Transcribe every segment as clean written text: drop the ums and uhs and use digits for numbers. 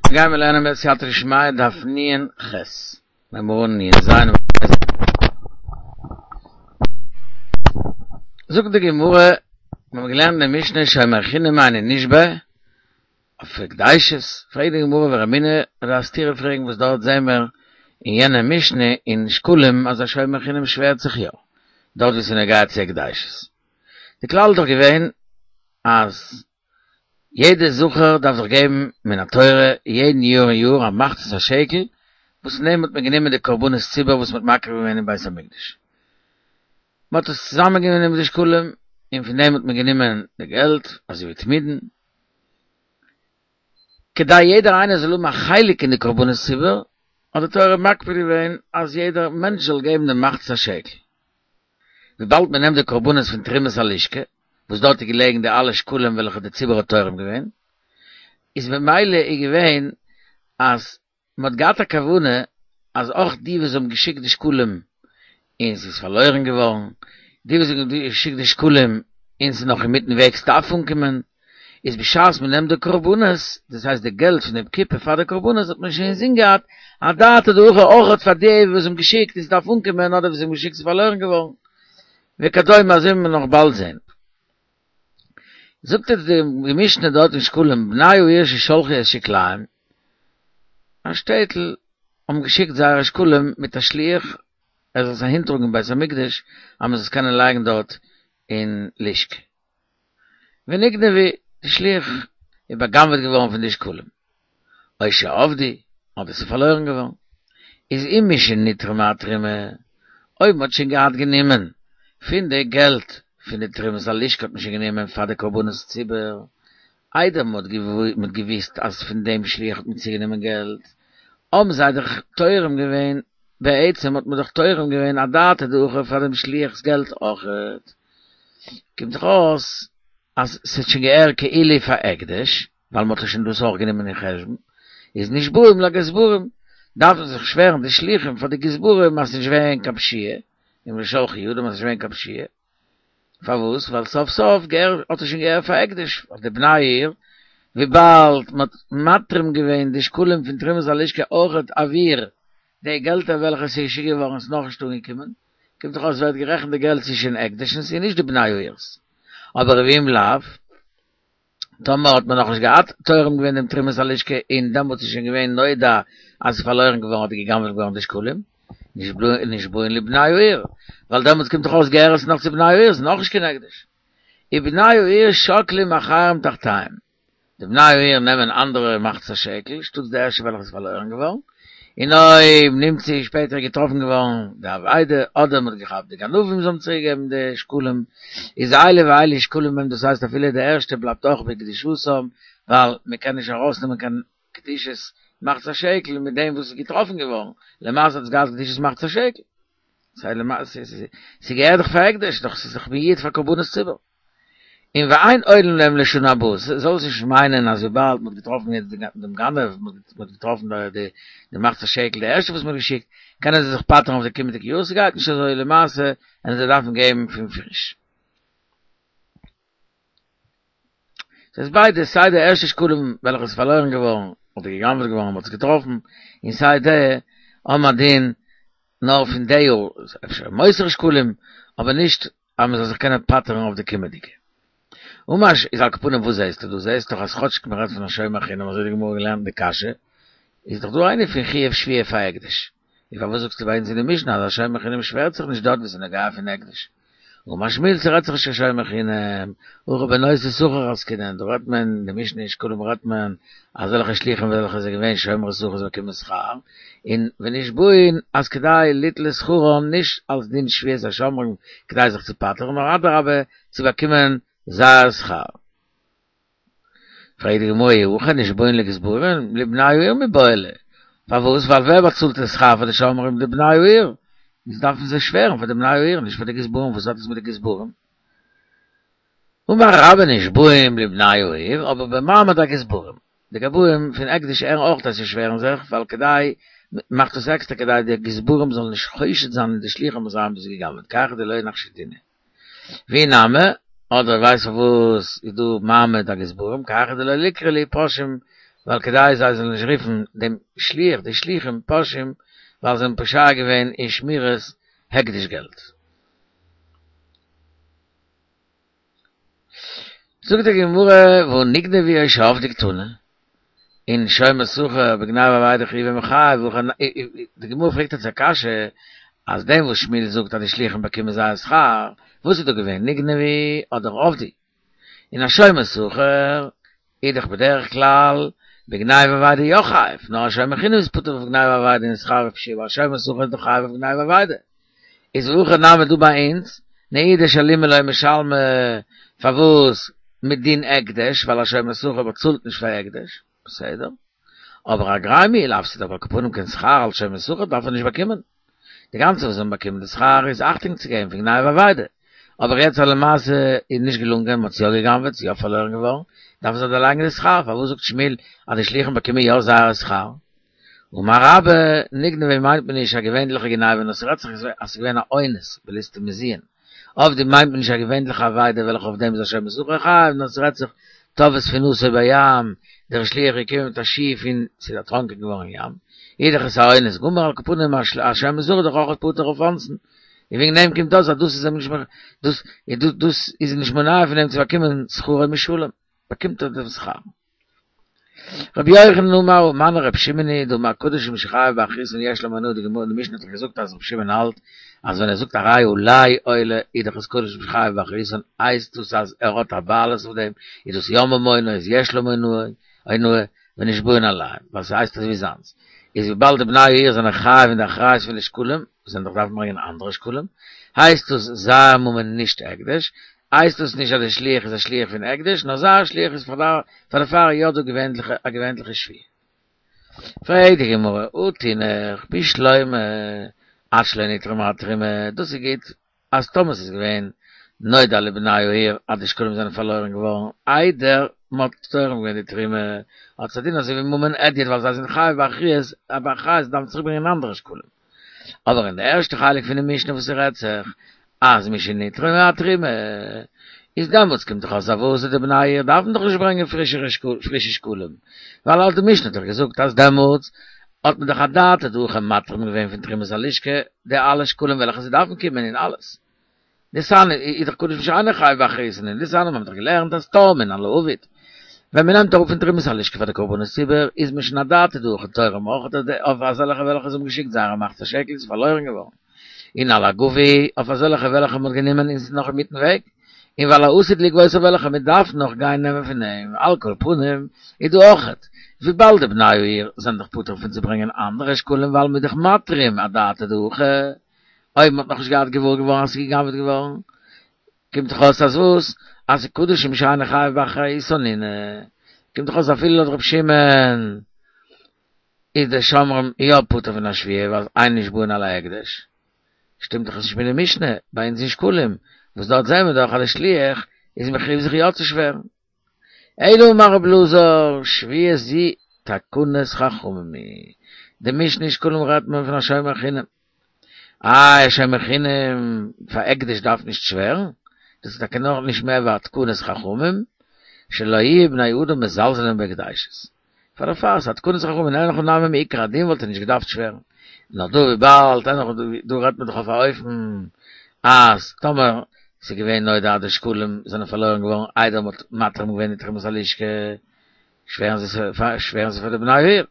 גייען מיר לערנען בסייעתא דשמיא דף נ"ח, מיר הייבן אן נ"ז. זאגט די גמרא, מיר האבן געלערנט אין די משנה שומר חינם אינו נשבע, אויף הקדשות, פרעגט די גמרא ורמינהי, א סתירה פרעגן וואס דארט זעהן מיר אין יענע משנה אין שקלים אז א שומר חינם שווערט זיך יא, דארט וואו ס'איז נוגע צו הקדשות. די כלל איז דאך געווען אז יעדע זכר דארף זיך געבן מן התורה יעדן יאר און יאר א מחצית השקל, וואס פון דעם האט מען גענומען די קרבנות ציבור וואס מען האט מקריב געווען אין בית המקדש. מען האט עס צוזאמען גענומען די שקלים, און פון דעם האט מען גענומען די געלט, אזוי ווי תמידין, כדי יעדער איינער זאל האבן א חלק אין די קרבנות ציבור, האט די תורה מקפיד געווען אז יעדער מענטש זאל געבן די מחצית השקל. וויבאלד מען נעמט די קרבנות פון תרומת הלשכה, וואס דארט איז געלעגן די אלע שקלים וועלכע די ציבור האט תורם געווען, איז ממילא איז געווען אז מען האט געהאט א כוונה אז אויך די וואס האבן געשיקט די שקלים און ס'איז פארלוירן געווארן, די וואס האבן געשיקט די שקלים און ס'איז נאך אינמיטן וועג ס'דארף אנקומען, איז בשעת מען נעמט די קרבנות, דאס הייסט די געלט פון דעם קופה פאר די קרבנות האט מען שוין אינזין געהאט אדעתא דהכי אויכעט פאר די וואס האבן געשיקט און ס'דארף אנקומען אדער וואס האבן געשיקט ס'איז פארלוירן געווארן וכדומה אזוי וועט מען נאך באלד זען. זאגט אונז די משנה דארט אין שקלים בני העיר ששלחו את שקליהם, א שטעטל האבן געשיקט זייערע שקלים מיט א שליח ער זאל עס אהינטראגן אין בית המקדש אז מען זאל עס קענען לייגן דארט אין לשכה. ונגנבו, די שליח איז בא'גנב'עט געווארן פון די שקלים, או שאבדו, אדער ס'איז פארלוירן געווארן, איז אם משנתרמה התרומה, אויב מ'האט שוין געהאט גענומען פון די געלט פון די תרומת הלשכה האט מען שוין גענומען פאר די קרבנות ציבור, איידער מ'האט געוואוסט אז פון דעם שליח האט מען צוגענומען געלט, האבן זיי דאך תורם געווען, בעצם האט מען דאך תורם געווען אדעתא דהכי פאר דעם שליח'ס געלט אויכעט. קומט דאך אויס אז ס'האט שוין געהערט כאילו פאר הקדש, ווייל מ'האט דאך שוין דאס אויך גענומען אין חשבון, איז נשבעים לגזברים, דארפן זיך שווערן די שליחים פאר די גזברים אז ס'איז נישט געווען קיין פשיעה, און לשלחי ידם אז ס'איז נישט געווען קיין פשיעה. פארוואס? ווייל סוף סוף געהער האט עס שוין געהערט פאר הקדש, ווייל די בני העיר, וויבאלד מ'האט מתרים געווען די שקלים פון תרומת הלשכה אויכעט עבור די געלטער וועלכע ס'איז געשיקט געווארן איז נאכנישט אנגעקומען, קומט דאך אויס ווערט גערעכנט די געלט ס'איז שוין הקדש און ס'איז נישט די בני העיר'ס. אבער ואם לאו, טאמער האט מען נאכנישט געהאט תורם געווען דעם תרומת הלשכה און דעמאלטס איז שוין געווען נודע אז ס'איז פארלוירן געווארן אדער גע'גנב'עט געווארן די שקלים, נשבעין לבני העיר, ווייל דעמאלטס קומט דאך אויס געהער עס נאך צו בני העיר, ס'איז נאכנישט קיין הקדש. ובני העיר שוקלים אחרים תחתיהם. די בני העיר נעמען אנדערע מחצית השקל, שטאטס די ערשטע וועלכע איז פארלוירן געווארן, און אויב נמצאו איז שפעטער געטראפן געווארן די אבידה, אדער מען האט געכאפט די גנבים זיי האבן צוריק געגעבן די שקלים, איז אלו ואלו שקולים הם, דאס הייסט אפילו די ערשטע בלייבט אויך בקדושתם, ווייל מען קען נישט ארויסנעמען קיין קדושת מחצית השקל מיט דעם וואס איז געטראפן געווארן, למעשה האט עס געהאט קדושת מחצית השקל. ס'געהערט דאך פאר הקדש, דאך ס'איז דאך מיועד פאר קרבנות ציבור. און ואין עולין להם לשנה הבאה, זאל עס נישט מיינען אז וויבאלד מ'האט געטראפן יעצט דעם גנב, מ'האט געטראפן די מחצית השקל די ערשטע וואס מ'האט געשיקט, קענען זיי זיך פטר'ן אויף די קומענדיגע יאר, ס'גייט נישט אזוי למעשה, און זיי דארפן געבן פון פריש. ס'איז ביידע, סיי די ערשטע שקלים וועלכע איז פארלוירן געווארן אדער גע'גנב'עט געווארן מ'האט עס געטראפן, און סיי די האבן א דין נאר פון די יאר, אפשר מותר שקלים, אבער נישט אז מ'זאל זיך קענען פטר'ן אויף די קומענדיגע. אמר איז על כל פנים וואס זעהסטו דא? זעהסט דאך אז כאטש מ'רעדט פון א שומר חינם אזוי האט די גמרא געלערנט די קשיא, איז דאך דא איינער פון חיוב שבועה פאר הקדש. און פארוואס זאגסטו ביי אונז אין די משנה אז א שומר חינם שווערט זיך נישט דארט וואו ס'איז נוגע פון הקדש? אמר שמואל ס'רעדט זיך נישט קיין שומר חינם, הכא בנושאי שכר עסקינן, דא רעדט מען, אין די משנה אין שקלים רעדט מען אזעלכע שליחים וועלכע זענען געווען שומרי שכר זיי באקומען שכר, און ונשבעין אז כדי ליטול שכרם נישט אלס דין שבועת השומרים כדי זיך צו פטר'ן נאר אדרבה צו באקומען זייער שכר. פרעגט די גמרא אי הכי נשבעין לגזברים לבני העיר מיבעי ליה, פארוואס? ווייל ווער באצאלט די שכר פאר די שומרים? די בני העיר, איז דארפן זיי שווערן פאר די בני העיר נישט פאר די גזברים, וואס האט עס מיט די גזברים? אמר רבה נשבעים לבני העיר אבער במעמד הגזברים, די גבאים פון הקדש הערן אויך אז זיי שווערן זיך ווייל כדי מ'מאכט עס עקסטער כדי די גזברים זאלן נישט חושד זיין אין די שליחים אז זיי האבן דאס גע'גנב'עט כי היכי דלא נחשדינהו. ואי נמי, אדער ווייסט פארוואס איז דא מעמד הגזברים, כי היכי דלא ליקרי להו פושעים. ווייל כדי זיי זאלן נישט רופן דעם שליח, די שליחים, פושעים, ווייל זיי האבן פושע געווען אין שמירת הקדש געלט. זאגט די גמרא, והא נגנבו או שאבדו קתני, און שומר שכר בגניבה ואבידה חיובי מיחייב, די גמרא פרעגט יעצט א קשיא, אז דעם וואס שמואל זאגט אז די שליחים באקומען זייער שכר, וואס איז דא געווען, נגנבו אדער אבדו? און א שומר שכר איז דאך בדרך כלל בגניבה ואבידה יא חייב, נאר א שומר חינם איז פטור אויף גניבה ואבידה און שכר ופשיעה, אבער א שומר שכר איז דאך חייב אויף גניבה ואבידה. איז והכא נמי דא ביי אונז, נעידי שלומי לא משלמי, פארוואס מדין הקדש, ווייל א שומר שכר באצאלט נישט פאר הקדש, בסדר, אבער אגריה מיהא לא אפסיד, אבער על כל פנים קיין שכר אלס שומר שכר דארף ער נישט באקומען. די גאנצע וואס זיי האבן באקומען די שכר איז אכטונג צו געבן פון גניבה ואבידה, אבער יעצט אז למעשה איז נישט געלונגען, מען האט עס יא גע'גנב'עט, ס'איז יא פארלוירן געווארן, דארפן זיי דערלייגן די שכר, פארוואס זאגט שמואל אז די שליחים באקומען יא זייער שכר? אמר רבה, נגנבו מיינט מען נישט א געווענליכע גניבה נאר ס'רעדט זיך אז ס'איז געווען א אונס בליסטים מזוין, אבדו מיינט מען נישט א געווענליכע אבידה וועלכע אויף דעם איז א שומר שכר חייב נאר ס'רעדט זיך טבעה ספינתו בים, דער שליח איז געקומען מיט א שיף און ס'איז דערטראנקען געווארן אין ים, איז דאך עס א אונס גמור על כל פנים א שומר שכר איז דאך אויך פטור אויף אונסין, און וועגן דעם קומט אויס אז דאס איז אים נישט דאס דאס איז נישט מונע פון אים צו באקומען שכרו משולם, באקומט ער דעם שכר. רבי יוחנן אמר ומני רבי שמעון היא דאמר קדשים שחייב באחריותן יש להם הנאה די גמרא די משנה האט דאך געזאגט אז רבי שמעון האלט אז ווען ער זאגט הרי עלי עולה איז דאך עס קדשים שחייב באחריותן הייסט דאס אז ער האט א בעלות אויף דעם איז דאס יא ממונו איז יש להם אונאה ונשבעין עליהם ווייל ס'הייסט אזוי ווי זיינס איז וויבאלד די בני העיר זענען חייב אין די אחריות פון די שקלים זיי דאך דארפן ברענגען אנדערע שקלים הייסט דאס זייער ממון נישט הקדש הייסט דאס נישט אז די שליח איז א שליח פון הקדש, נאר זייער שליח איז פאר דערפאר יא דא געווענליכע א געווענליכע שבועה. פרעגט די גמרא, הא תינח בשלמא עד שלא נתרמה התרומה, דאס איז גוט אז טאמער ס'איז געווען נודע לבני העיר אז די שקלים זענען פארלוירן געווארן איידער מ'האט תורם געווען די תרומה, האט עס א דין אזוי ווי ממון הדיוט ווייל זיי זענען חייב באחריות, באחריות דארפן צוריק ברענגען אנדערע שקלים. אבער אין די ערשטע חלק פונעם משנה וואס ס'רעדט זיך אז משנתרמה התרומה איז דעמאלטס קומט דאך אויס אז וואס די בני העיר דארפן דאך נישט ברענגען פרישע שקלים ווייל אז די משנה האט דאך געזאגט אז דעמאלטס האט מען דאך אדעתא דהכי מתרים געווען פון תרומת הלשכה די אלע שקלים וועלכע זיי דארפן קומען און אלעס דתניא איז דאך קדשים שאינו חייב באחריותן און דתניא מ'האט דאך געלערנט אז תורמין על האבוד ווען מ'נעמט אראפ פון תרומת הלשכה פאר די קרבנות ציבור איז מען שוין אדעתא דהכי תורם אויך אויף אזעלכע וועלכע זיי האבן געשיקט זייערע מחצית השקל איז פארלוירן געווארן און על הגבוי אויף אזעלכע וועלכע מ'האט גענומען און ס'איז נאך אינמיטן וועג און ועל העתיד לגבות אויף וועלכע מ'דארף נאך גיין נעמען פון אים על כל פנים איז דא אויכעט וויבאלד די בני העיר זענען דאך פטור פון צו ברענגען אנדערע שקלים ווייל מ'איז דאך מתרים אדעתא דהכי אויב מ'האט נאכנישט געהאט געוואר געווארן אז ס'איז גע'גנב'עט געווארן, קומט דאך אויס אז וואס? אז ס'איז קדשים שאינו חייב באחריותן נינהו. קומט דאך אויס אפילו לויט ר' שמעון איז די שומרים יא פטור פון א שבועה ווייל אין נשבעין על ההקדש. שטימט דאך עס נישט מיט די משנה ביי אונז אין שקלים, וואס דארט זעהן מיר דאך אז די שליח איז מחויב זיך יא צו שווערן. אלא אמר רב אלעזר, שבועה זו תקנת חכמים היא. די משנה אין שקלים רעדט מען פון א שומר חינם. איי א שומר חינם פאר הקדש דארף נישט שווערן? דאס איז טאקע נאר נישט מער ווי א תקנת חכמים, שלא יהיו בני אדם מזלזלין בהקדשות. פאר דערפאר ס'איז א תקנת חכמים אין הכי נמי מעיקר הדין וואלט ער נישט געדארפט שווערן. נאר דא וויבאלד אין הכי דא רעדט מען דאך אויף א אופן אז טאמער ס'איז געווען נודע אז די שקלים זענען פארלוירן געווארן איידער מ'האט מתרים געווען די תרומת הלשכה שווערן זיי שווערן זיי פאר די בני העיר,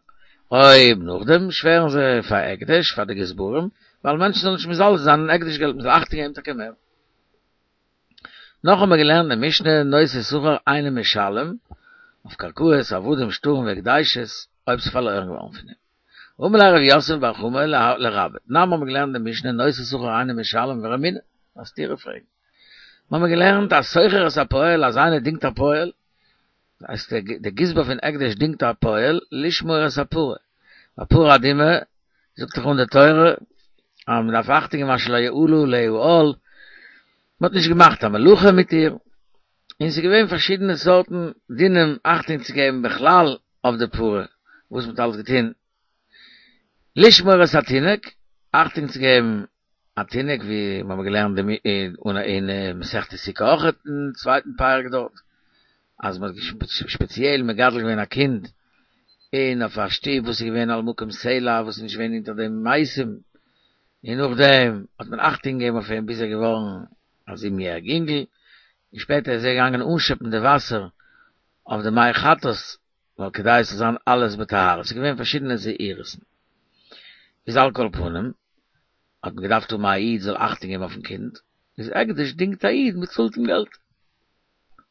אויב נאכדעם שווערן זיי פאר הקדש פאר די גזברים ווייל מענטשן זאלן נישט מזלזל זיין אין הקדש געלט מ'זאל אכטונג געבן טאקע מער. נאך האבן מיר געלערנט אין משנה נושא שכר אינו משלם, אויף קרקעות, עבדים, שטרים והקדשות, אויב ס'איז פארלוירן געווארן פון אים. אמר ליה רב יוסף בר חמא לרבה, תנן האבן מיר געלערנט אין משנה נושא שכר אינו משלם ורמינהו, א סתירה פרעגן. מיר האבן געלערנט אז שוכר את הפועל אז איינער דינגט א פועל, הייסט דער גזבר פון הקדש דינגט א פועל לשמור את הפרה, א פרה אדומה זאגט דאך אן די תורה אז מען דארף אכטונג געבן אשר לא יעלה עליה עול, מען האט נישט געמאכט א מלאכה מיט איר, און ס'איז געווען פארשידענע סארטן דינים אכטונג צו געבן בכלל אויף די פרה, וואס מען האט אלעס געטון לשמור את התינוק, אכטונג צו געבן א תינוק ווי מיר האבן געלערנט אין מסכת סוכה אויך אין צווייטן פרק דארט, אז מען האט שפעציעל מגדל געווען א קינד. און אויף א שטוב וואס איז געווען על מקום סלע וואס איז נישט געווען אונטער דעם מתים, און נאכדעם האט מען אכטונג געגעבן אויף אים ביז ער איז געווארן א זיבן יעריג אינגל, און שפעטער איז ער געגאנגען אנשעפן די וואסער אויף די מי חטאת, ווייל כדי עס זאל זיין אלעס בטהרה, ס'איז געווען פארשידענע זהירות'ן. איז על כל פנים, האט מען געדארפט האבן א איד זאל אכטונג געבן אויפן קינד, איז הקדש דינגט א איד, מען צאלט אים געלט.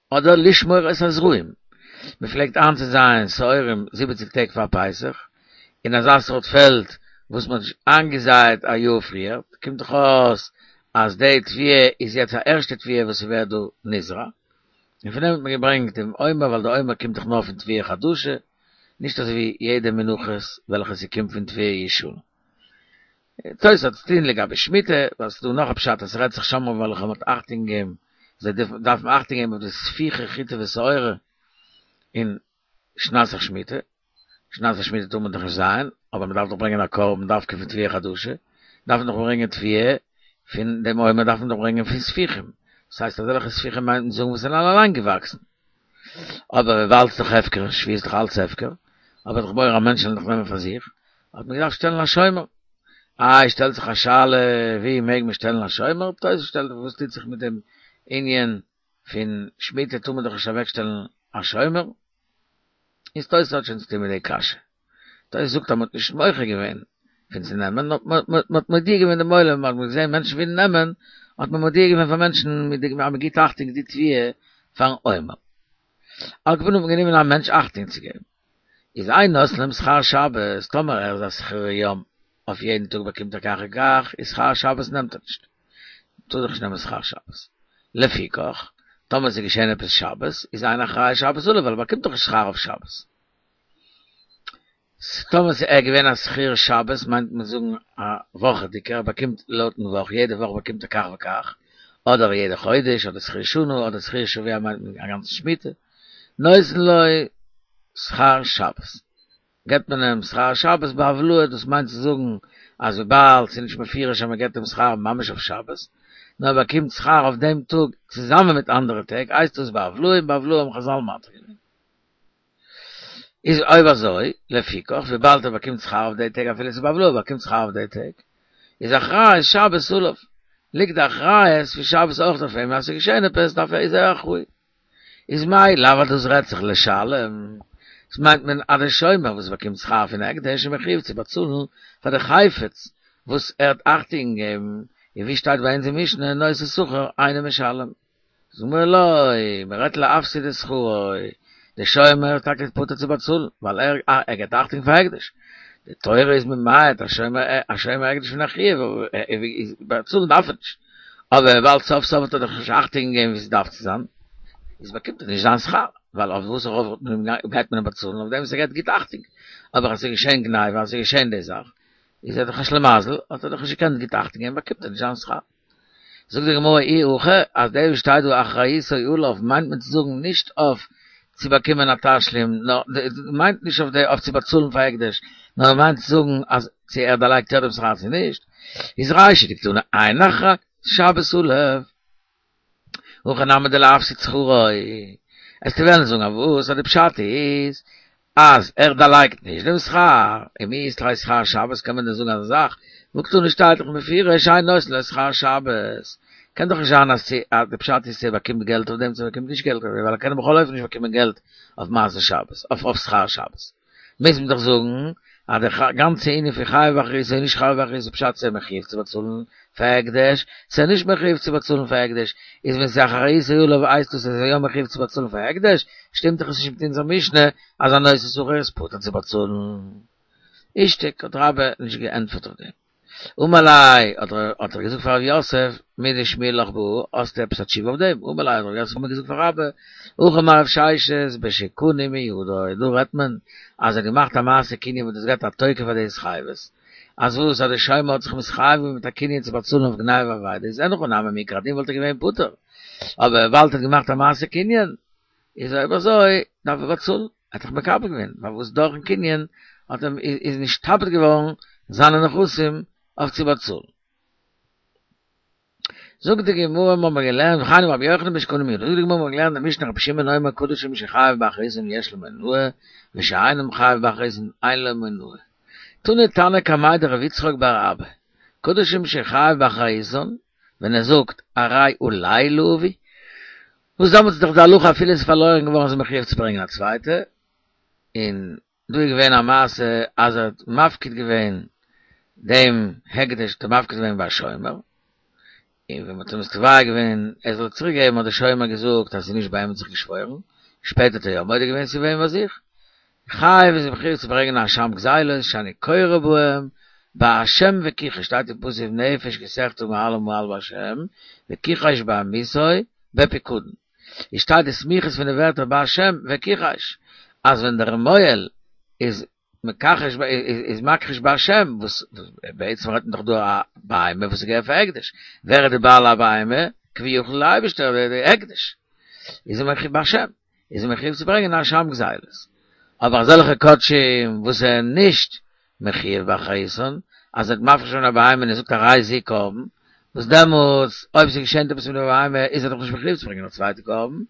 אדער לשמור את הזרעים, מען פלעגט איינצוזייען שעורים זיבעציג טעג פאר פסח, אין אזא סארט פעלד וואס מען האט נישט איינגעזייעט א יאר פריער, קומט דאך אויס אז די תבואה איז יעצט א ערשטע תבואה וואס ס'ווערט דא נזרע, און פון דעם האט מען געברענגט דעם עומר ווייל די עומר קומט דאך נאר פון תבואה חדשה, נישט אזוי ווי יעדע מנחות וועלכע ס'קומט פון תבואה ישנה. תוס' האט צו טון לגבי שמיטה, ווייל ס'איז דא נאך א פשט אז ס'רעדט זיך שומרים וועלכע מ'האט אכטונג געגעבן, זיי דארפן אכטונג געבן אויף די ספיחי חיטה ושעורה אין שנת השמיטה, שנת השמיטה טאר מען דאך נישט זייען, אבער מ'דארף דאך ברענגען א קרבן דווקא פון תבואה חדשה, דארף מען דאך ברענגען תבואה פון דעם עומר דארף מען דאך ברענגען פון ספיחים, דאס הייסט אזעלכע ספיחים מיינט מען זאגן וואס זענען אליין געוואקסן, אבער וויבאלד ס'איז דאך הפקר, שביעית איז דאך אלץ הפקר, אבער דאך מורא אז מענטשן וועלן דאך נעמען פאר זיך, האט מען געדארפט שטעלן א שומר. איי שטעלט זיך א שאלה ווי מעג מען שטעלן א שומר, תוס' שטעלט וואס טוט זיך מיט דעם ענין פון שמיטה טאר מען דאך נישט אוועק שטעלן א שומר, איז תוס' האט שוין צוטון מיט די קשיא. תוס' זאגט אז מען האט נישט מוחה געווען פון צו נעמען, נאר מען האט מודיע געווען דעם עולם, מען האט געזען מענטשן ווילן נעמען, האט מען מודיע געווען פאר מענטשן מיט די אז מען גיבט אכטונג די תבואה פארן עומר. על כל פנים האט מען גענומען א מענטש אכטונג צו געבן. איז אין נותנין להם שכר שבת, טאמער ער איז א שכיר יום, אויף יעדן טאג באקומט ער כך וכך, איז שכר שבת נעמט ער נישט. טאר דאך נישט נעמען שכר שבת. לפיכך, טאמער ס'איז געשען עפעס שבת, איז אין אחריות שבת עליו, ווייל ער באקומט דאך נישט שכר אויף שבת. טאמער ס'איז ער געווען א שכיר שבת, מיינט מען זאגן א וואכעדיגער, ער באקומט לויטן וואך, יעדע וואך באקומט ער כך וכך, אדער יעדע חודש, אדער שכיר שנה, אדער שכיר שבוע מיינט מען א גאנצע שמיטה, נותן לו שכר שבת. געבט מען אים שכר שבת בהבלעה, דאס מיינט צו זאגן אז וויבאלד ס'איז נישט מפורש אז מ'געבט אים שכר ממש אויף שבת, נאר ער באקומט שכר אויף דעם טאג צוזאמען מיט אנדערע טעג, הייסט דאס בהבלעה און בהבלעה האבן חזל מתיר געווען. איז אויב אזוי, לפיכך, וויבאלד ער באקומט שכר אויף די טעג אפילו ס'איז בהבלעה, ער באקומט שכר אויף די טעג, איז אחריות שבת עליו, ליגט די אחריות פון שבת אויך אויף אים, אז ס'איז געשען עפעס דארף ער איז ער אחראי. איז מאי לאו אז דאס רעדט זיך לשלם, דאס מיינט מען אז דער שומר וואס באקומט שכר פון הקדש איז מחויב צו באצאלן פאר די חפץ וואס ער האט אכטונג געגעבן, און ווי שטייט ביי אונז אין משנה נושא שכר אינו משלם. זאגט די גמרא לא, מען רעדט להפסיד את שכרו, דער שומר איז טאקע פטור צו באצאלן, ווייל ער ער געבט אכטונג פאר הקדש, די תורה איז ממעט א שומר א שומר הקדש פון א חיוב, באצאלן דארף ער נישט. אבער וויבאלד סוף סוף האט ער דאך נישט אכטונג געגעבן ווי ס'דארף צו זיין, איז באקומט ער נישט זיין שכר, ווייל אויף וואס ארויף גייט מען אים באצאלן, אויף דעם וואס ער געבט גוט אכטונג, אבער אז ס'איז געשען גניבה, אז ס'איז געשען די זאך, איז ער דאך א שלימזל, האט ער דאך נישט געקענט גוט אכטונג געבן, באקומט ער נישט זיין שכר. זאגט די גמרא אי הכי, אז דער וואס שטייט דא אחריותו עליו מיינט מען צו זאגן נישט אויף צו באקומען א תשלום, נאר מיינט נישט אויף די אויף צו באצאלן פאר הקדש, נאר מיינט צו זאגן אז צו ער דערלייגט יא דעם שכר צו נישט, איז רישא דקתני אין אחריות שבת עליו. הכא נמי דלהפסיד שכרו. וועסטו וועלן זאגן אז וואס אז די פשט איז אז ער דערלייגט נישט דעם שכר, ומי אית ליה שכר שבת קען מען דען זאגן אזא זאך, והא קתני שטייט דאך מפורש אין נותנין לו שכר שבת, קען דאך נישט זיין אז צו אז די פשט איז צו ער באקומט געלט אויף דעם צו ער באקומט נישט געלט אויף דעם ווייל ער קען בכל אופן נישט באקומען געלט אויף מעשה שבת אויף אויף שכר שבת מוז מען דאך זאגן אז די גאנצע ענין פון חייב באחריותו און נישט חייב באחריותו איז פשט צו ער מחויב צו באצאלן פאר הקדש צו ער נישט מחויב צו באצאלן פאר הקדש איז ווען ס'איז אחריותו עליו הייסט דאס אז ער איז יא מחויב צו באצאלן פאר הקדש שטימט דאך עס נישט מיט אונזער משנה אז א נושא שכר איז פטור צו באצאלן. אישתיק האט רבה נישט געענטפערט אויף דעם. אמר ליה האט ער געזאגט פאר רב יוסף מידי שמיע לך בהא האסטו עפעס א תשובה אויף דעם? אמר ליה האט רב יוסף געזאגט פאר רבה הכי אמר רב ששת בשקנה מידו דא רעדט מען אז ער האט געמאכט א מעשה קנין וואס דאס געבט א תוקף פאר די התחייבות אז וואס אז די שומר האט זיך מתחייב געווען מיט א קנין צו באצאלן אויף גניבה ואבידה איז אין הכי נמי מעיקר הדין וואלט ער געווען פטור אבער וויבאלד ער האט געמאכט א מעשה קנין איז אויב אזוי דארף ער באצאלן, ער האט זיך מקבל געווען, ווייל וואס דורכן קנין האט אים איז נשתעבד געווארן זיינע נכסים אויף צו באצאלן. זאגט די גמרא מיר האבן געלערנט וכן אמר רבי יוחנן בשקנה מידו, זאגט די גמרא מיר האבן געלערנט די משנה רבי שמעון אומר קדשים שחייב באחריותן יש להם אונאה, ושאינו חייב באחריותן אין לו אונאה. תני תנא קמיה דרב יצחק בר אבא, קדשים שחייב באחריותן, ווען ער זאגט הרי עלי להביא, וואס דעמאלטס איז דאך די הלכה אפילו עס איז פארלוירן געווארן איז ער מחויב צו ברענגען א צווייטע, און דא איז געווען א מעשה אז ער האט מפקיד געווען דעם הקדש האט ער מפקיד געווען ביי א שומר, און ווען מ'האט אים עס תובע געווען ער זאל צוריק געבן האט דער שומר געזאגט אז ס'איז נישט ביי אים האט זיך געשוואוירן, שפעטער האט ער יא מודה געווען ס'איז געווען ביי זיך, חייב איז ער מחויב צו ברענגען א אשם גזילות שאני קורא בהם בהשם וכחש שטייט אין פסוק נפש כי תחטא מעלה מעל בהשם וכחש בעמיתו בפקדון איז שטייט די סמיכות פון די ווערטער בהשם וכחש אז ווען דער מוהל איז מכחש איז מכחיש בהשם וואס בעצם רעדט מען דאך דא א בהמה וואס איז געווען פאר הקדש ווער איז די בעל הבהמה? כביכול די אייבערשטער די הקדש איז ער מכחיש בהשם איז ער מחויב צו ברענגען א אשם גזילות אבער אזעלכע קדשים וואס זענען נישט מחויב באחריותן אז ער האט מפריש געווען א בהמה און ער זאגט הרי זו קרבן וואס דעמאלטס אויב ס'געשענט עפעס מיט די בהמה איז ער דאך נישט מחויב צו ברענגען א צווייטע קרבן,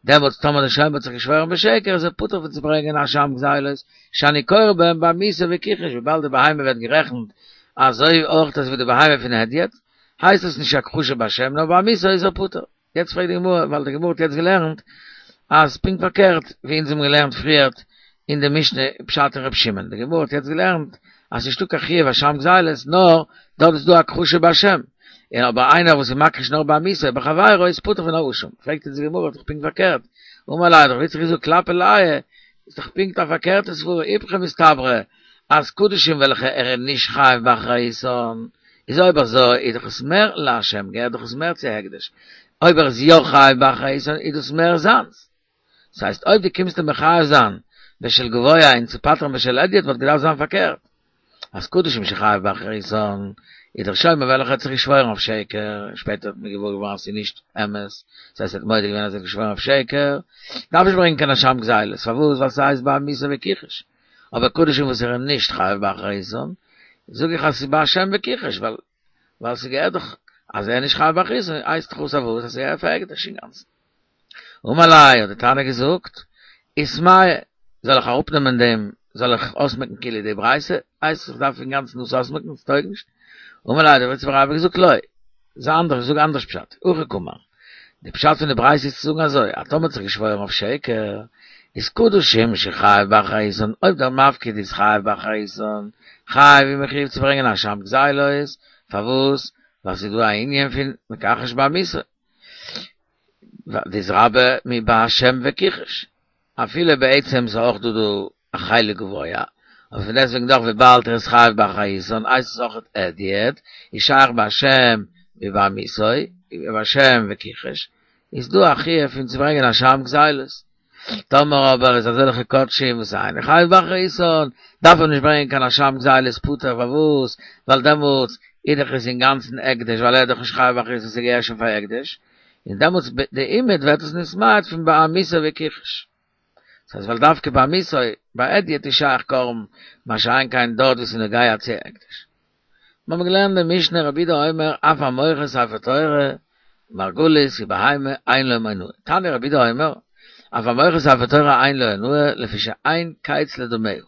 דעמאלטס טאמער די שומר האט זיך געשוואוירן בשקר איז ער פטור פון צו ברענגען א אשם גזילות, שאני קורא בהם בעמיתו וכחש וויבאלד די בהמה ווערט גערעכנט אזוי אויך אזוי ווי די בהמה פון הדיוט, הייסט עס נישט הכחשה בהשם נאר בעמיתו איז ער פטור. יעצט פרעגט די גמרא, ווייל די גמרא האט יעצט געלערנט אז פונקט פארקערט ווי אונז האבן געלערנט פריערט אין די משנה פשט אין ר' שמעון, די גמרא האט יעצט געלערנט אז ס'נישטא קיין חיוב אשם גזילות נאר דארט איז דא הכחשה בהשם, און אבער איינער וואס איז מכחיש נאר בעמיתו בחבירו איז פטור פון א אשם, פרעגט יעצט די גמרא דאך פונקט פארקערט, אמר ליה האט רב יצחק געזאגט כלפי לאיי איז דאך פונקט א פארקערטע סברא איפכא מסתברא אז קדשים וועלכע ער איז נישט חייב באחריותן, איז אויב אזוי איז דאך עס מער להשם, געהערט דאך עס מער צו הקדש, אויב ער איז יא חייב באחריותן איז דאס מער זיינס. דאס הייסט אויב דו קומסט אים מחייב זיין בשל גבוה און צו פטר'ן בשל הדיוט וואלט געדארפט זיין פארקערט אז קדשים שחייב באחריותן איז דער שומר וועלכער האט זיך געשוואוירן אויף שקר און שפעטער האט מען געוואר געווארן אז ס'איז נישט אמת, דאס הייסט ער האט מודה געווען אז ער האט געשוואוירן אויף שקר, דארף נישט ברענגען קיין אשם גזילות, פארוואס? ווייל ס'הייסט בעמיתו וכחש. אבער קדשים וואס ער איז נישט חייב באחריותן, זאג איך אז ס'איז בהשם וכחש, ווייל ווייל ס'געהערט דאך אז ער איז נישט חייב באחריותן, הייסט דאך אויס אז וואס? אז ס'געהערט פאר הקדש אינגאנצן. אמר ליה האט די תנא געזאגט, איסמעא, זאל איך אראפנעמען דעם, זאל איך אויסמעקן כאילו די ברייתא, הייסט איך דארף אינגאנצן דאס אויסמעקן, ס'טויג נישט. אמר ליה האט רב יצחק בר אבא געזאגט לא, זיי אנדערש, זאג אנדערש פשט, הכי קאמר, די פשט פון די ברייתא איז צו זאגן אזוי, אז טאמער האט זיך געשוואוירן אויף שקר, איז קדשים שחייב באחריותן, אויב דער מפקיד איז חייב באחריותן, חייב איז מחויב צו ברענגען אשם גזילות, פארוואס? ווייל ס'איז דא א ענין פון מכחש בעמיתו, דאתרבי מבהשם וכחש, אפילו בעצם איז אויך דא דא א חלק גבוה, אבער פון דעסטוועגן דאך וויבאלד ער איז חייב באחריותן הייסט עס אויך הדיוט, איז שייך בהשם מבעמיתו, בהשם וכחש, איז דא א חיוב פון צו ברענגען אשם גזילות. טאמער אבער איז אזעלכע קדשים וואס אינו חייב באחריותן, דארף ער נישט ברענגען קיין אשם גזילות פטור פארוואס? ווייל דעמאלטס איז דאך עס אינגאנצן הקדש ווייל ער איז דאך נישט חייב באחריותן ס'געהערט שוין פאר הקדש, און דעמאלטס דערמיט ווערט עס נתמעט פון בעמיתו וכחש. דאס הייסט ווייל דווקא בעמיתו ביי הדיוט איז שייך קרבן, מה שאין כן דארט וואו ס'איז נוגע צו הקדש. מיר האבן געלערנט די משנה רבי יהודה אומר אף המוכר ספר תורה מרגלית ובהמה אין לו אונאה. תניא רבי יהודה אומר אף המוכר ספר תורה אין לו אונאה לפי שאין קץ לדמיה.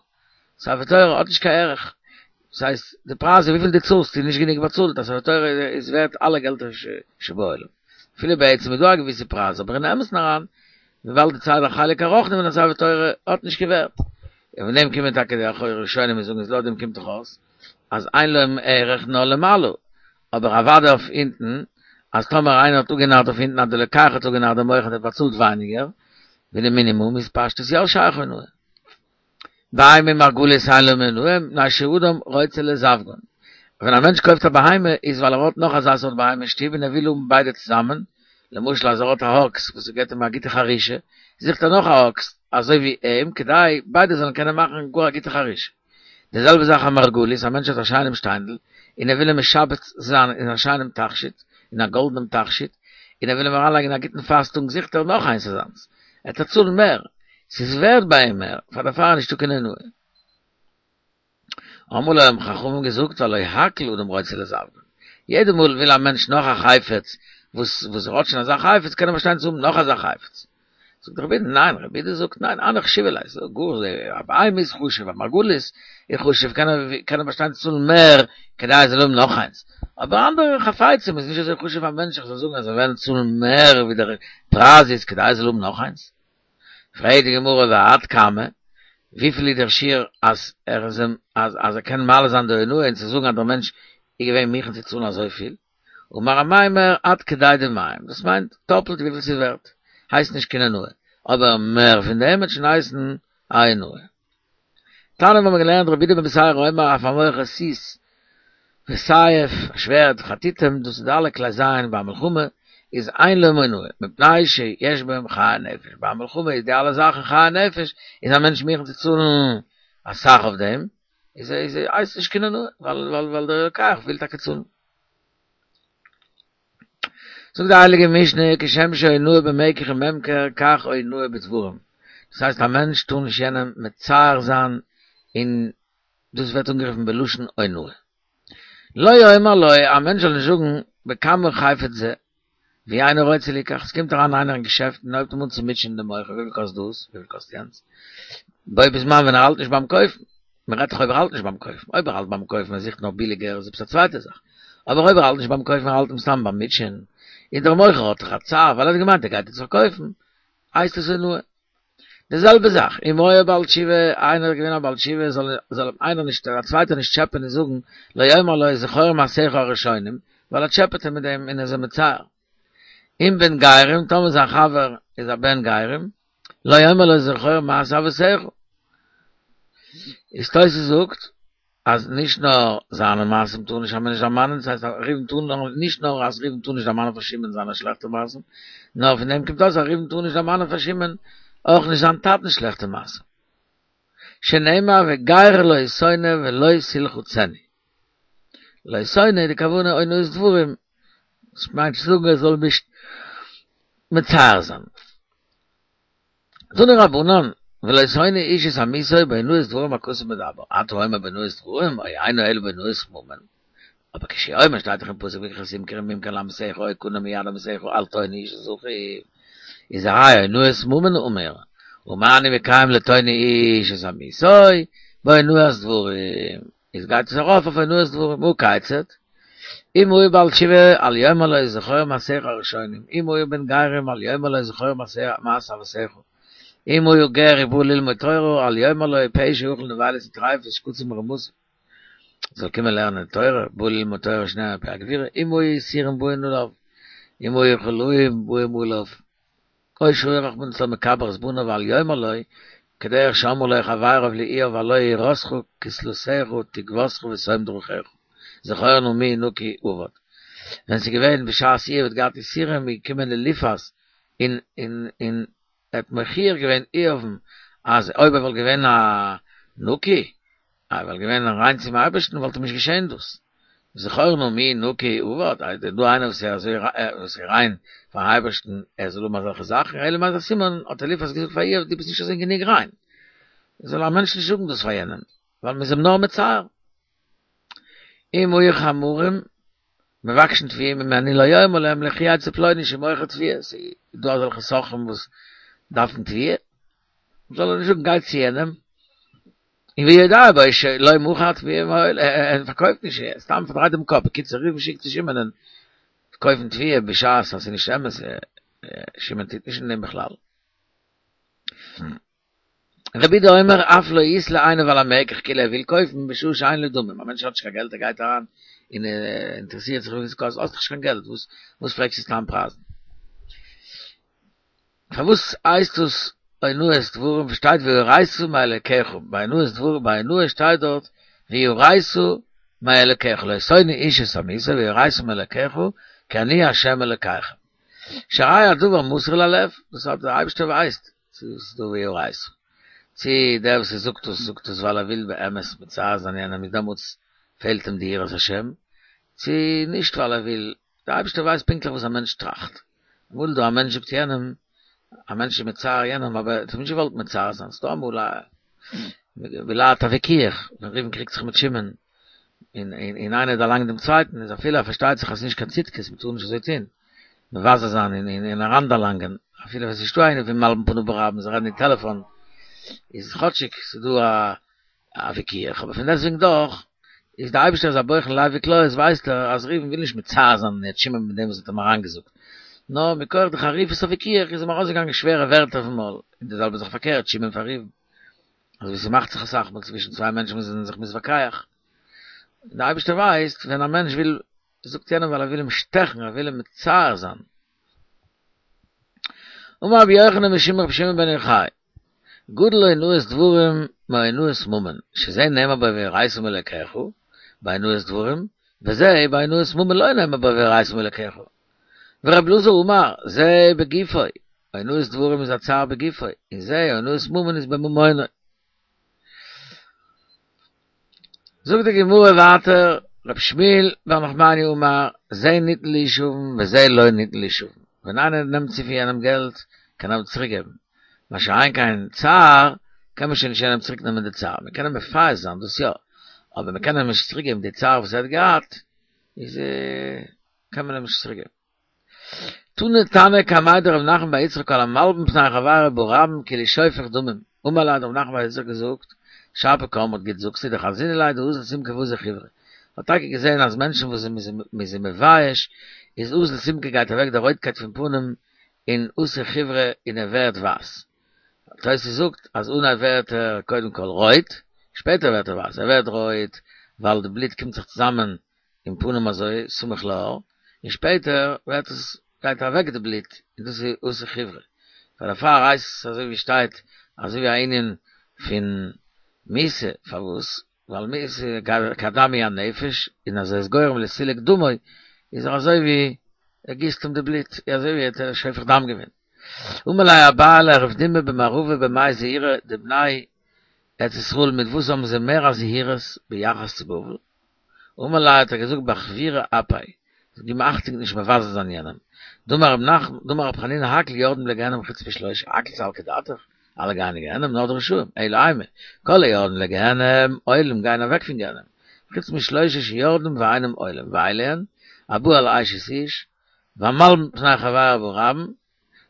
ספר תורה האט נישט קיין ערך. דאס הייסט די פרייז וויפיל דו צאלסט איז נישט גענוג באצאלט, א ספר תורה איז ווערט אלע געלטער שבעולם. אפילו בעצם איז דא א געוויסע פרייז אבער אין אמת'ן אריין וויבאלד די צד החלק הרוחני פון א ספר תורה האט נישט קיין ווערט. און פון דעם קומען טאקע די אחרונים און זאגן אז לויט דעם קומט דאך אויס אז אין לו ערך נאר למעלה, אבער אוודאי אויף אונטן, אז טאמער איינער האט אפגענארט אויף אונטן אז די לוקח האט אפגענארט דעם מוכר און האט באצאלט ווייניגער ווי די מינימום איז פשטות יא שייך אונאה. בהמה ומרגלית אין לו אונאה מפני שאדם רוצה לזווגן. ווען א מענטש קויפט א בהמה איז ווייל ער האט נאך אזא סארט בהמה אין שטוב און ער וויל האבן ביידע צוזאמען, למשל אז ער האט א אקס וואס געבט אים א גוטע חרישה, זוכט ער נאך א אקס אזוי ווי אים כדי ביידע זאלן קענען מאכן גאר א גוטע חרישה. די זעלבע זאך א מרגלית, א מענטש האט א שיינעם שטיינדל און ער וויל אים משבץ זיין אין א שיינעם תכשיט, אין א גאלדענעם תכשיט, און ער וויל אים אריינלייגן אין א גוטן פאסטונג זוכט ער נאך איינס אזאנס, ער וועט צאלן מער, ס'איז ווערד ביי אים מער, פאר דערפאר איז נישטא קיין אונאה. אמרו לו האבן חכמים געזאגט והלא הכל אדם רוצה לזווגן, יעדע מאל וויל א מענטש נאך א חפץ וואס וואס ער האט שוין אזא חפץ קען ער באשטיין צו האבן נאך אזא חפץ. זאגט רבי יהודה ניין, רבי יהודה זאגט ניין, הנך חשיבי ליה, ס'איז גאר א בהמה איז חשוב, א מרגלית איז חשוב, קען ער קען ער באשטיין צו צאלן מער כדי ער זאל האבן נאך איינס, אבער אנדערע חפצים איז נישט אזוי חשוב א מענטש איך זאל זאגן אז זיי וועלן צאלן מער ווי דער פרייז איז כדי ער זאל האבן נאך איינס. פרעגט די גמרא ועד כמה, וויפיל איז דער שיעור אז ער איז אים אז אז ער קען מעלה זיין די אונאה און צו זאגן אז דער מענטש איז געווען מוכן צו צאלן אזויפיל, אמר אמימר עד כדי דמיהם, דאס מיינט טאפלט וויפיל ס'איז ווערט, הייסט נישט קיין אונאה, אבער מער פון דעם וועט שוין הייסן א אונאה. תניא האבן מיר געלערנט רבי יהודה בן בתירא אומר אף המוכר סוס וסייף, א שווערד, חתיתים, דאס איז די אלע כלי זיין ביי א מלחמה, איז אין להם אונאה, מפני שיש בהם חיי נפש, ביי א מלחמה איז די אלע זאכן חיי נפש, איז א מענטש מוכן צו צאלן אסאך אויף דעם, איז איז הייסט נישט קיין אונאה, ווייל ווייל ווייל דער לוקח וויל טאקע צאלן. זאגט די הייליגע משנה, כשם שאונאה במקח וממכר כך אונאה בדברים, דאס הייסט א מענטש טאר נישט יענעם מצער זיין און דאס ווערט אנגערופן בלשון אונאה. לא יאמר לו, א מענטש זאל נישט זאגן בכמה חפץ זה, ואינו רוצה ליקח, עס קומט אריין איינער אין געשעפט און הויבט אים אן צו מוטשען דעם מוכר, וויפיל קאסט דאס, וויפיל קאסט יענץ, בו בזמן ווען ער האלט נישט ביים קויפן, מען רעדט דאך אויב ער האלט נישט ביים קויפן, אויב ער האלט ביים קויפן ער זוכט נאר ביליגער איז עפעס א צווייטע זאך, אבער אויב ער האלט נישט ביים קויפן ער האלט אים סתם ביים מוטשען, און דער מוכר האט דאך א צער ווייל ער האט געמיינט ער גייט יעצט פארקויפן, הייסט עס אונאה. די זעלבע זאך, אם היה בעל תשובה, איינער איז געווען א בעל תשובה, זאל זאל אים איינער נישט, א צווייטער נישט טשעפען און זאגן, לא יאמר לו זכור מעשיך הראשונים, ווייל ער טשעפעט אים מיט דעם און איז אים מצער. אם בן גרים, טאמער זיין חבר איז א בן גרים, לא יאמר לו זכור מעשה אבותיך. איז תוס' זאגט, אז נישט נאר זיינע מעשים טאר נישט א מענטש דערמאנען, דאס הייסט אז ראובן טאר נאר, נישט נאר אז ראובן טאר נישט דערמאנען פאר שמעון זיינע שלעכטע מעשים, נאר פון דעם קומט אויס אז ראובן טאר נישט דערמאנען פאר שמעון אויך נישט זיין טאטנ'ס שלעכטע מעשים. שנאמר וגר לא תונה ולא תלחצנו. לא תונה די כוונה אונאת דברים, דאס מיינט צו זאגן ער זאל נישט מצער זיין. תנו רבנן, ולא תונו איש את עמיתו באונאת דברים הכתוב מדבר, אתה אומר באונאת דברים, או אינו אלא באונאת ממון. אבער כשהוא אומר שטייט דאך אין פסוק וכי תמכור ממכר לעמיתך או קנה מיד עמיתך אל תונו איש את אחיו, איז הרי אונאת ממון אמור, ומה אני מקיים לא תונו איש את עמיתו באונאת דברים, איז גייט עס ארויף אויף אונאת דברים, הא כיצד? אם הוא בעל תשובה אל יאמר לו זכור מעשיך הראשונים, אם הוא בן גרים אל יאמר לו זכור מעשה אבותיך, אם הוא גר ובא ללמוד תורה אל יאמר לו פה שאכל נבילות וטריפות שקצים ורמשים, זאל קומען לערנען תורה, בא ללמוד תורה שנאמר מפי הגבורה, אם היו יסורים באים עליו, אם היו חולאים באים עליו. או שהיה רחמנא ליצלן מקבר את בניו אל יאמר לו, כדרך שאמרו לו חבריו לאיוב הלא יראתך כסלתך תקוותך ושום דרכיך, זכור נא מי נקי אבד. ווען ס'איז געווען בשעת איוב האט געהאט יסורים איז געקומען אליפז און און און ער האט מוכיח געווען איוב'ן אז אויב ער וואלט געווען א נקי ער וואלט געווען ריין צום אייבערשטן וואלט אים נישט געשען דאס. זכור נא מי נקי אבד, איז דא איינער וואס איז אזוי וואס איז ריין פארן אייבערשטן ער זאל האבן אזעלכע זאכן, אלא מאי איז א סימן האט אליפז געזאגט פאר איוב דו ביסט נישט אזוי גענוג ריין, זאל א מענטש נישט זאגן דאס פאר יענעם, ווייל מ'איז אים נאר מצער. אם היו חמרים מבקשין תבואה ממנו לא יאמר להם לכו אצל פלוני שמוכר תבואה, ס'איז דא אזעלכע סוחרים וואס דארפן תבואה, זאל ער נישט זאגן גיי צו יענעם, און ויודע בו שלא מכר תבואה מעולם, ער פארקויפט נישט, סתם פארדרייט דעם קאפ, בקיצור ראובן שיקט צו שמעונ'ען קויפן תבואה בשעת אז ס'איז נישט אמת, שמעון טוט נישט אין דעם בכלל. רבי יהודה אומר אף לא יתלה עיניו על המקח כאילו ער וויל קויפן בשעה שאין לו דמים, א מענטש האט נישט קיין געלט ער גייט אריין און אינטערעסירט זיך וויפיל ס'קאסט, האסט דאך נישט קיין געלט וואס וואס פרעגסטו סתם פרייזן? פארוואס הייסט עס אונאת דברים שטייט ויראת מאלקיך ביי אונאת דברים ביי אונאה שטייט דארט ויראת מאלקיך לא תונו איש את עמיתו ויראת מאלקיך כי אני ה' אלקיכם שהרי הדבר מסור ללב דאס האט דער אייבערשטער ווייסט צו ס'איז דא ויראת צו דער וואס זאגט עס זאגט עס ווייל ער וויל באמת מצער זיין יענעם איז דעמאלטס פעלט אים די יראת השם צו נישט ווייל ער וויל דער אייבערשטער ווייסט פונקטליך וואס א מענטש טראכט. אמאל איז דא א מענטש זאגט יענעם, א מענטש איז מצער יענעם אבער ער האט נישט געוואלט מצער זיין, ס'דא אמאל א בלהט הוויכוח, ווען ראובן קריגט זיך מיט שמעון, און און איינער דערלאנגט דעם צווייטן, איז אפילו ער פארשטייט זיך אז ס'איז נישט קיין צדקות, מ'טאר נישט אזוי טון, מבזה זיין און און אריינדערלאנגען. אפילו ווען ס'איז נישטא איינער פון מלבין פנים ברבים, זיי רעדן אין טעלעפאן, איז כאטשיג ס'איז דא א וויכוח, אבער פון דעסטוועגן דאך, איז די אייבערשטער איז א בוחן לב וכליות ווייסט ער אז ראובן וויל נישט מצער זיין יעצט שמעון מיט דעם וואס האט אים אריינגעזאגט, נאר מכח די חריפות הוויכוח איז אים ארויסגעגאנגען שווערע ווערטער פון מויל, און די זעלבע זאך פארקערט שמעון פאר ראובן, אזוי ווי ס'מאכט זיך אסאך מאל צווישן צוויי מענטשן וואס זענען זיך מתווכח, און די אייבערשטער ווייסט ווען א מענטש וויל זאגט יענעם ווייל ער וויל אים שטעכן, ער וויל אים מצער זיין. אמר רבי יוחנן משום רבי שמעון בן יוחאי, גדול אונאת דברים מאונאת ממון, שזה נאמר בו ויראת מאלקיך, באונאת דברים, וזה באונאת ממון לא נאמר בו ויראת מאלקיך. ורבי אלעזר אמר, זה בגופו, אונאת דברים איז א צער בגופו, און זה אונאת ממון איז בממונו. זאגט די גמרא ווייטער, ר' שמואל בר נחמני אמר, זה ניתן לישבן וזה לא ניתן לישבן, ווען איינער נעמט צו פון יענעם געלט, קען ער אים צוריק געבן, מה שאין כן צער, קען מען שוין נישט יענעם צוריק נעמען די צער, מען קען אים מפייס זיין דאס יא, אבער מען קען אים נישט צוריק געבן די צער וואס ער האט געהאט, איז קען מען אים נישט צוריק געבן. תני תנא קמיה דרב נחמן בר יצחק כל המלבין פני חברו ברבים כאילו שופך דמים, אמר ליה האט רב נחמן בר יצחק געזאגט, שפיר קאמרת גוט זאגסטו דחזינא ליה דאזיל סומקא ואזיל חיורא, האט טאקע געזען אז מענטשן וואס מ'איז זיי מבייש איז אזיל סומקא גייט אוועק די רויטקייט פון פנים און אתי חיורא און ער ווערט ווייס. תוס' זאגט אז אנהייב ווערט ער קודם כל רויט, שפעטער ווערט ער ווייס, ער ווערט רויט ווייל די בלוט קומט זיך צוזאמען אין פנים אזוי סמוך לעור, און שפעטער ווערט עס גייט אוועק די בלוט און דאס איז אתי חיורא, פאר דערפאר הייסט עס אזוי ווי שטייט אזוי ווי א ענין פון מיתה, פארוואס? ווייל מיתה כדם היא הנפש, און אז ער איז גורם לסילוק דמו איז ער אזוי ווי ער גיסט אים די בלוט, אזוי ווי ער האט שופך דם געווען. אמר ליה אביי לרב דימי במערבא במאי זהירי די בני ארץ ישראל מיט וואס האבן זיי מער א זהירות ביחס צו בבל? אמר ליה האט ער געזאגט באחבורי אפיה, זאל געבן אכטונג נישט מבזה זיין יענעם, דאמר רב נחמן, דאמר רב חנינא הכל יורדים לגיהנם חוץ משלושה, הכל סלקא דעתך, אלע גייען אין גיהנם נאר די רשעים, אלא אימא, כל היורדים לגיהנם עולים גייען אוועק פון גיהנם, חוץ משלושה שיורדים ואינם עולים, ואלו הן, הבא על אשת איש, והמלבין פני חברו ברבים,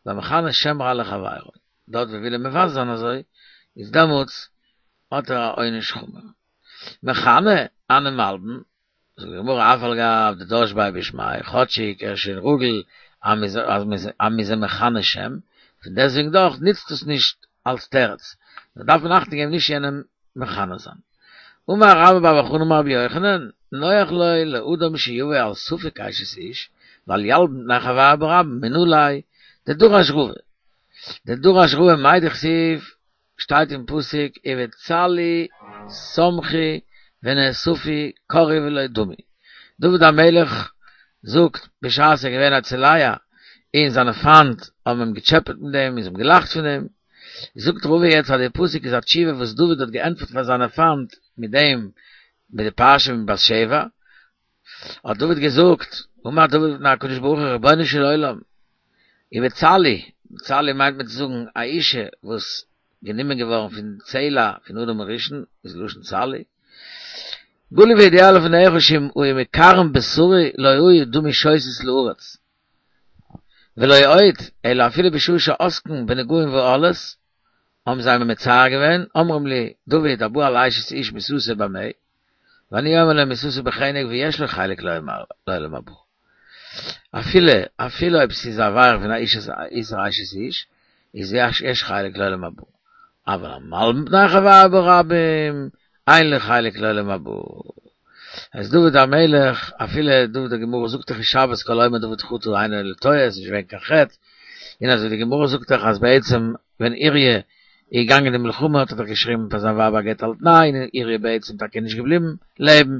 והמכנה שם רע לחבירו, דארט ווי וויל ער מבזה זיין אזוי, איז דעמאלטס האט ער א עונש חמור. מכנה, הני מלבין, זאגט די גמרא אף על גב דדש ביה בשמיה, כאטשיג ער איז שוין רגיל אז מ'איז אים מכנה שם, פון דעסטוועגן דאך נוצט עס נישט אלס תירוץ, נאר דארף מען אכטונג געבן נישט יענעם מכנה זיין. אמר רבה בר בר חנה אמר רבי יוחנן, נוח לו לאדם שיבוא על ספק אשת איש, ואל ילבין פני חברו ברבים, מנא ליה, דדרש רבא, דדרש רבא מאי דכתיב, שטייט אין פסוק ובצלי שמחו ונאספו כרעו ולא דמו, דוד המלך זאגט בשעת ער איז געווען א צולע און זיינע פיינט האבן אים געטשעפעט מיט דעם און זיי האבן געלאכט פון אים, זאגט רבא יעצט אז די פסוק איז א תשובה וואס דוד האט געענטפערט פאר זיינע פיינט מיט דעם מיט די פרשה פון בת שבע, האט דוד געזאגט, אמר דוד לפני הקדוש ברוך הוא רבונו של עולם, ובצלי, צלי מיינט מען צו זאגן א אישה וואס גענומען געווארן פון צלע פון אדם הראשון, איז לשון צלי, גלוי וידוע לפניך שאם היו מקרעין בשרי לא היה דמי שותת לארץ, ולא עוד, אלא אפילו בשעה שעוסקין בנגעים ואהלות, האבן זיי מיר מצער געווען, אומרים לי, דוד הבא על אשת איש מיתתו במה? ואני אומר להם מיתתו בחנק ויש לו חלק לעולם הבא. אפילו, אפילו אויב ס'איז א עבירה פון א איסור אשת איש, איז יש חלק לעולם הבא. אבל המלבין פני חברו ברבים, אין לו חלק לעולם הבא. אז דוד המלך, אפילו דוד די גמרא זאגט דאך אין שבת כל האומר דוד חטא אינו אלא טועה, ס'איז נישט געווען קיין חטא, און אזוי די גמרא זאגט דאך אז בעצם ווען אוריה איז געגאנגען די מלחמה האט ער דאך געשריבן פאר זיין ווייב א גט על תנאי און אוריה בעצם טאקע נישט געבליבן לעבן.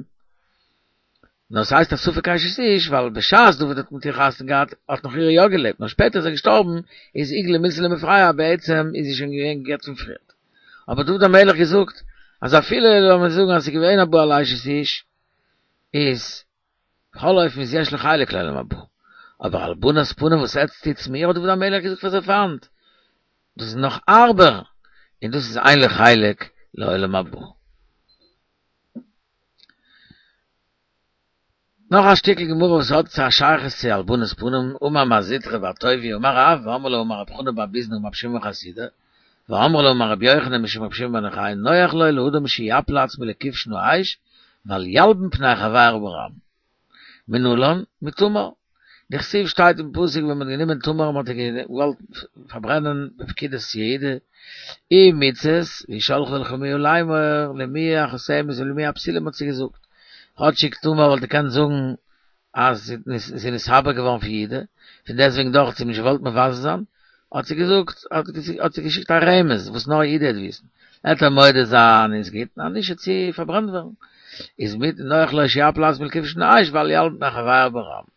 נאר ס'הייסט א ספק אשת איש ווייל בשעת דוד האט מיט איר חתונה געהאט האט נאך אוריה יא געלעבט נאר שפעטער איז ער געשטארבן איז איגלאי מילתא למפרע בעצם איז זי שוין געווען גע'גט פון פריערט. אבער דוד המלך געזאגט אז אפילו לאמיר זאגן אז ס'איז געווען א בא על אשת איש איז בכל אופן איז יש לו חלק לעולם הבא. אבער הלבנת פנים וואס עטץ טוטס מיר האט דוד המלך געזאגט פאר זיין פיינט, דאס איז נאך הארבער, און דאס איז אין לו חלק לעולם הבא. נאך א שטיקל גמרא וואס האט צו א שייכות צו הלבנת פנים, אמר מר זוטרא בר טוביה אמר רב, ואמרי לה אמר רב חנא בר ביזנא אמר רב שמעון חסידא, ואמרי לה אמר רבי יוחנן משום רבי שמעון בן יוחאי נוח לו לאדם שיפיל עצמו לכבשן האש ואל ילבין פני חבירו ברבים. מנלן, מתמר. דכתיב שטייט אין פסוק ווען מען האט גענומען תמר און מען האט איר געוואלט פארברענען בפקידת יהודה, ומצות, והיא שלחה לחמיה לאמור, למי החותמת ולמי הבתולים האט זי געזאגט. כאטשיג תמר וואלט געקענט זאגן אז זי איז נתעבר געווארן פון יהודה, פון דעסטוועגן דאך האט זי אים נישט געוואלט מבזה זיין, האט זי געזאגט, האט זי געשיקט א רמז וואס נאר יהודה וועט וויסן, עט ער מודה זיין איז גוט, אז נישט וועט זי פארברענט ווערן. איז מיט נוח לו שיפיל עצמו לכבשן האש ואל ילבין פני חבירו ברבים.